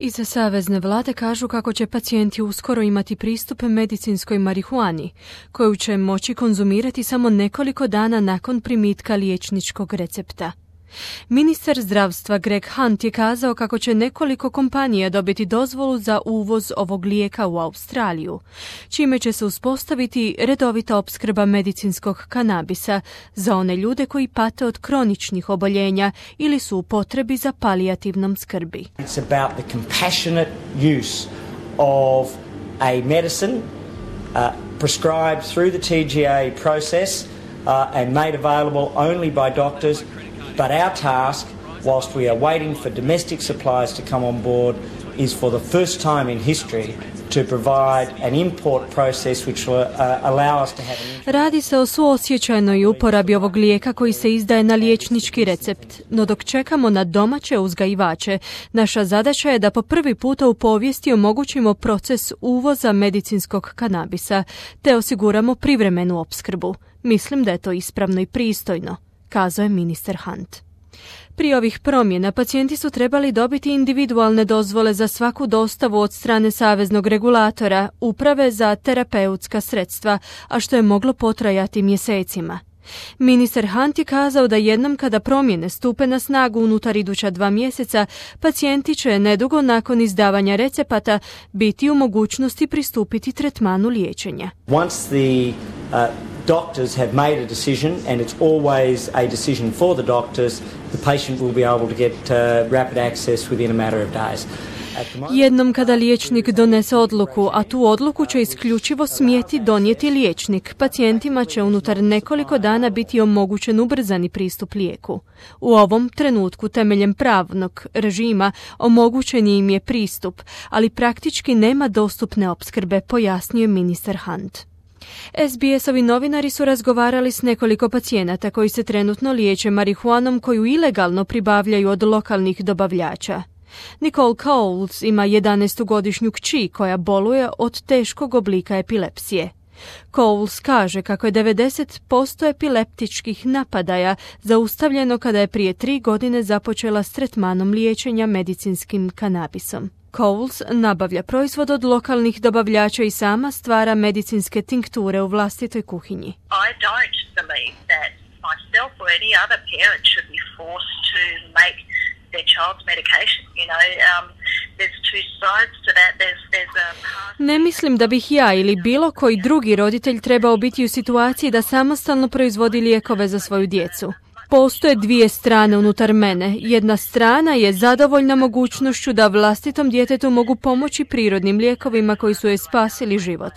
Iz savezne vlade kažu kako će pacijenti uskoro imati pristup medicinskoj marihuani, koju će moći konzumirati samo nekoliko dana nakon primitka liječničkog recepta. Ministar zdravstva Greg Hunt je kazao kako će nekoliko kompanija dobiti dozvolu za uvoz ovog lijeka u Australiju, čime će se uspostaviti redovita opskrba medicinskog kanabisa za one ljude koji pate od kroničnih oboljenja ili su u potrebi za palijativnom skrbi. It's about the compassionate use of a medicine prescribed through the TGA process and made available only by doctors. But our task, whilst we are waiting for domestic supplies to come on board, is for the first time in history to provide an import process which will allow us to have Radi se o suosjećajnoj uporabi ovog lijeka koji se izdaje na liječnički recept, no dok čekamo na domaće uzgajivače, naša zadaća je da po prvi puta u povijesti omogućimo proces uvoza medicinskog kanabisa, te osiguramo privremenu opskrbu. Mislim da je to ispravno i pristojno, kazao je ministar Hunt. Prije ovih promjena pacijenti su trebali dobiti individualne dozvole za svaku dostavu od strane saveznog regulatora, Uprave za terapeutska sredstva, a što je moglo potrajati mjesecima. Ministar Hunt je kazao da jednom kada promjene stupe na snagu unutar iduća 2 mjeseca, pacijenti će nedugo nakon izdavanja recepata biti u mogućnosti pristupiti tretmanu liječenja. Once the doctors have made a decision, and it's always a decision for the doctors, the patient will be able to get rapid access within a matter of days. Jednom kada liječnik donese odluku, a tu odluku će isključivo smjeti donijeti liječnik, pacijentima će unutar nekoliko dana biti omogućen ubrzani pristup lijeku. U ovom trenutku temeljem pravnog režima omogućen im je pristup, ali praktički nema dostupne opskrbe, pojasnio je ministar Hunt. SBS-ovi novinari su razgovarali s nekoliko pacijenata koji se trenutno liječe marihuanom koju ilegalno pribavljaju od lokalnih dobavljača. Nicole Coles ima 11-godišnju kći koja boluje od teškog oblika epilepsije. Coles kaže kako je 90% epileptičkih napadaja zaustavljeno kada je prije 3 godine započela s tretmanom liječenja medicinskim kanabisom. Coles nabavlja proizvod od lokalnih dobavljača i sama stvara medicinske tinkture u vlastitoj kuhinji. I don't believe that myself or any other parent should be forced to make their child's medication. There's two sides to that. Ne mislim da bih ja ili bilo koji drugi roditelj trebao biti u situaciji da samostalno proizvodi lijekove za svoju djecu. Postoje 2 strane unutar mene. Jedna strana je zadovoljna mogućnošću da vlastitom djetetu mogu pomoći prirodnim lijekovima koji su joj spasili život.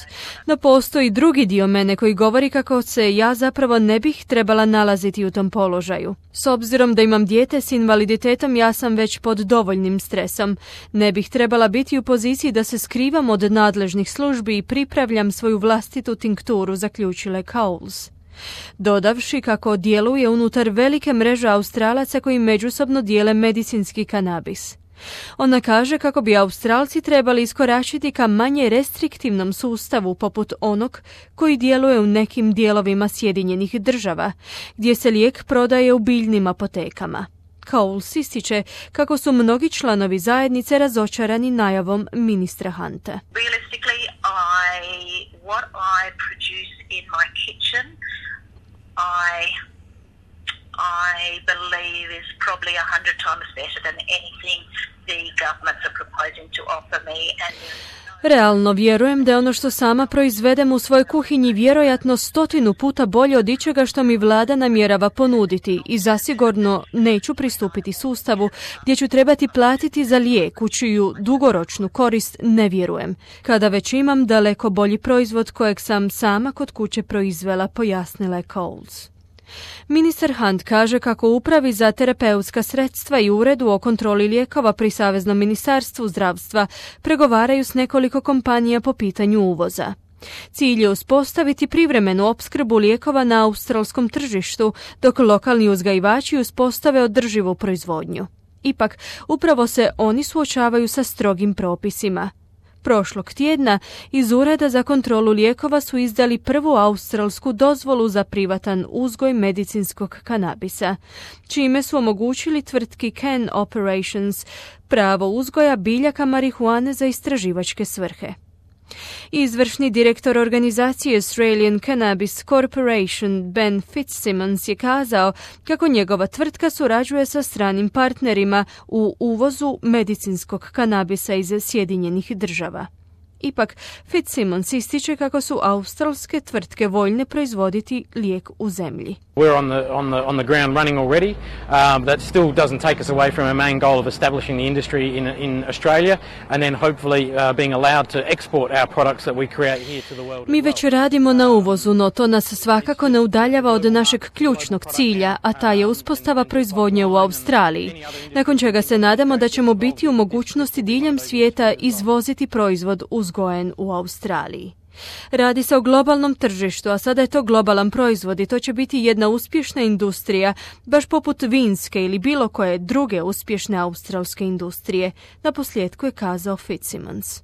No postoji drugi dio mene koji govori kako se ja zapravo ne bih trebala nalaziti u tom položaju. S obzirom da imam dijete s invaliditetom, ja sam već pod dovoljnim stresom. Ne bih trebala biti u poziciji da se skrivam od nadležnih službi i pripravljam svoju vlastitu tinkturu, zaključila je Coles. Dodavši kako djeluje unutar velike mreže Australaca koji međusobno dijele medicinski kanabis. Ona kaže kako bi Australci trebali iskoračiti ka manje restriktivnom sustavu poput onog koji djeluje u nekim dijelovima Sjedinjenih Država, gdje se lijek prodaje u biljnim apotekama. Coles ističe kako su mnogi članovi zajednice razočarani najavom ministra Hunta. What I produce in my kitchen, I believe is probably 100 times better than anything the governments are proposing to offer me. Realno vjerujem da je ono što sama proizvedem u svojoj kuhinji vjerojatno 100 puta bolje od ičega što mi vlada namjerava ponuditi i zasigurno neću pristupiti sustavu gdje ću trebati platiti za lijek u čiju dugoročnu korist ne vjerujem, kada već imam daleko bolji proizvod kojeg sam sama kod kuće proizvela, pojasnila je Coles. Ministar Hunt kaže kako u Upravi za terapeutska sredstva i Uredu o kontroli lijekova pri Saveznom ministarstvu zdravstva pregovaraju s nekoliko kompanija po pitanju uvoza. Cilj je uspostaviti privremenu opskrbu lijekova na australskom tržištu, dok lokalni uzgajivači uspostave održivu proizvodnju. Ipak, upravo se oni suočavaju sa strogim propisima. Prošlog tjedna iz Ureda za kontrolu lijekova su izdali prvu australsku dozvolu za privatan uzgoj medicinskog kanabisa, čime su omogućili tvrtki Can Operations pravo uzgoja biljaka marihuane za istraživačke svrhe. Izvršni direktor organizacije Australian Cannabis Corporation Ben Fitzsimmons je kazao kako njegova tvrtka surađuje sa stranim partnerima u uvozu medicinskog kanabisa iz Sjedinjenih Država. Ipak, Fitzsimmons ističe kako su australske tvrtke voljne proizvoditi lijek u zemlji. We're on the ground running already. That still doesn't take us away from our main goal of establishing the industry in Australia and then hopefully being allowed to export our products that we create here to the world. Mi već radimo na uvozu, no to nas svakako ne udaljava od našeg ključnog cilja, a ta je uspostava proizvodnje u Australiji, nakon čega se nadamo da ćemo biti u mogućnosti diljem svijeta izvoziti proizvod uzgojen u Australiji. Radi se o globalnom tržištu, a sada je to globalan proizvod i to će biti jedna uspješna industrija, baš poput vinske ili bilo koje druge uspješne australske industrije, naposljetku je kazao Fitzsimmons.